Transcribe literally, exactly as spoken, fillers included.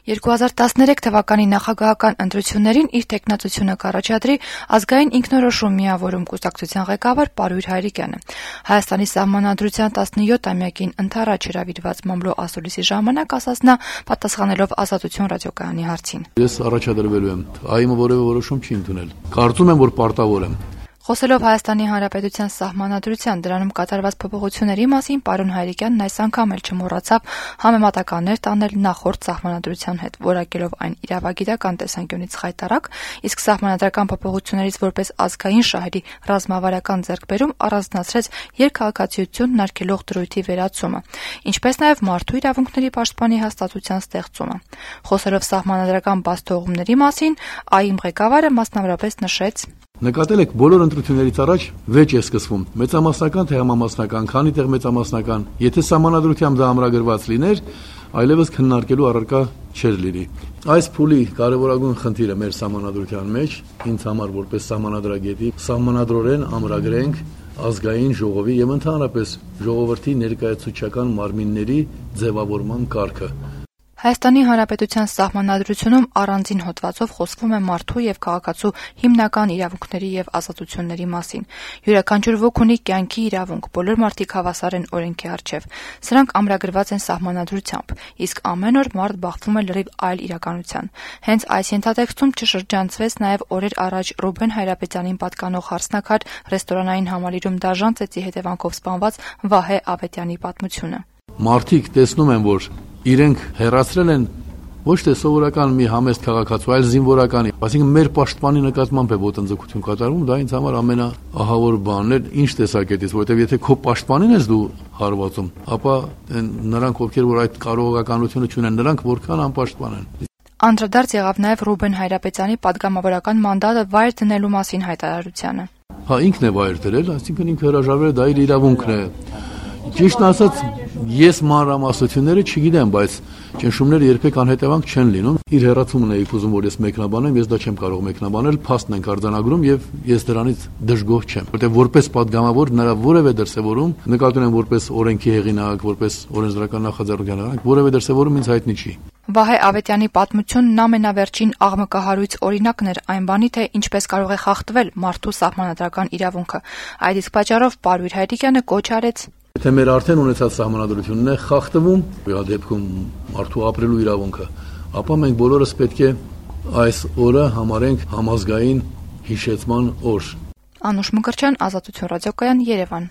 երկու հազար տասներեք թվականի նախագահական ընտրություններին իր թեկնածությունը կառաջադրի ազգային ինքնորոշում միավորում կուսակցության ղեկավար Պարույր Հայրիկյանը։ Հայաստանի Սահմանադրության տասնյոթամյակին ընդառաջ հրավիրված մամլո ասուլիսի ժամանակ ասաց նա, պատասխանելով Ազատություն ռադիոկայանի հարցին. Ես առաջադրվելու եմ, ԱԻՄ-ը որևէ որոշում չի ընդունել։ Կարծում եմ, որ պարտավոր եմ։ Խոսելով Հայաստանի Հանրապետության Սահմանադրության դրանում կատարված փոփոխությունների մասին, պարոն Հայրիկյանն այս անգամ էլ չմոռացավ համեմատականներ տանել նախորդ Սահմանադրության հետ, որակելով այն իրավագիտական տեսանկյունից խայտառակ, իսկ սահմանադրական փոփոխություններից որպես ազգային շահերի ռազմավարական ձեռքբերում առանձնացրեց երկքաղաքացիությունն արգելող դրույթի վերացումը, ինչպես նաև մարդու իրավունքների պաշտպանի հաստատության ստեղծումը։ Խոսելով սահմանադրական բացթողումների մասին, ԱԻՄ ղեկավարը մասնավորապես նշեց. Նկատել եք, բոլոր ընտրություններից առաջ վեճ է սկսվում, մեծամասնական թե համամասնական, քանի տեղ մեծամասնական, եթե սահմանադրությամբ դա ամրագրված լիներ, այլևս քննարկելու առարկա չէր լինի։ Այս փուլի կարևորագույն խնդիրը մեր սահմանադրության մեջ, ինձ համար որպես սահմանադրագետի, սահմանադրորեն ամրագրենք ազգային ժողովի եւ ընդհանրապես ժողովրդի ներկայացուցչական մարմինների ձևավորման կարգը։ Հայաստանի Հանրապետության Սահմանադրությունում առանձին հոդվածով խոսվում է մարդու եւ քաղաքացու հիմնական իրավունքների եւ ազատությունների մասին։ Յուրաքանչյուր ոք ունի կյանքի իրավունք, բոլոր մարդիկ հավասար են օրենքի առջև։ Սրանք ամրագրված են Սահմանադրությամբ, իսկ ամեն օր մարդ բախվում է լրիվ այլ իրականության։ Հենց այս ենթատեքստում չշրջանցվեց նաեւ օրեր առաջ Ռուբեն Հայրապետյանին պատկանող հարսնաքար ռեստորանային համալիրում դաժան ծեծի հետևանքով սպանված Վահե Ավետյանի պատմությունը։ Մարդիկ տեսնում են, որ իրենք հեռացրել են ոչ թե սովորական մի համեստ քաղաքացու, այլ զինվորականի, այսինքն մեր պաշտպանի նկատմամբ է ոտնձգություն կատարվում, դա ինձ համար ամենաահավոր բանն է, ինչ տեսակետից, որովհետև եթե քո պաշտպանին ես դու հարվածում, ապա նրանք, ովքեր որ այդ կարողականությունը չունեն, նրանք որքան անպաշտպան են։ Անդրադարձ եղավ նաև Ռուբեն Հայրապետյանի պատգամավորական մանդատը վայր դնելու մասին հայտարարությանը։ Հա, ինքն է վայր դրել, այսինքն ինքը հրաժարվել է, դա իր իրավունքն է։ Ճիշտն ասած, ես մանրամասնությունները չգիտեմ, բայց ճնշումները երբեք անհետևանք չեն լինում։ Իր հեռացումն էի ուզում, որ ես մեկնաբանեմ, ես դա չեմ կարող մեկնաբանել, փաստն ենք արձանագրում եւ ես դրանից դժգոհ չեմ, որտեղ որպես падգամավոր նրա որևէ դրսևորում, նկատի ունեմ որպես օրենքի հեղինակ, որպես օրենսդրական նախաձեռնության հեղինակ, որևէ դրսևորում ինձ հայտնի չի։ Վահե Ավետյանի պատմությունն ամենավերջին աղմկահարույց օրինակն էր այն բանի, թե ինչպես կարող է խախտվել մարդու սահմանադրական իրավունքը։ Այդ իսկ պատճառով Պարույր Հայրիկյանը կոչ արեց. Եթե մեր արդեն ունեցած սահմանադրությունն է խախտվում, այդ դեպքում մարդու ապրելու իրավունքը, ապա մենք բոլորս պետք է այս օրը համարենք համազգային հիշեցման օր։ Անուշ Մկրտչյան, Ազատություն ռադիոկայան, Երևան։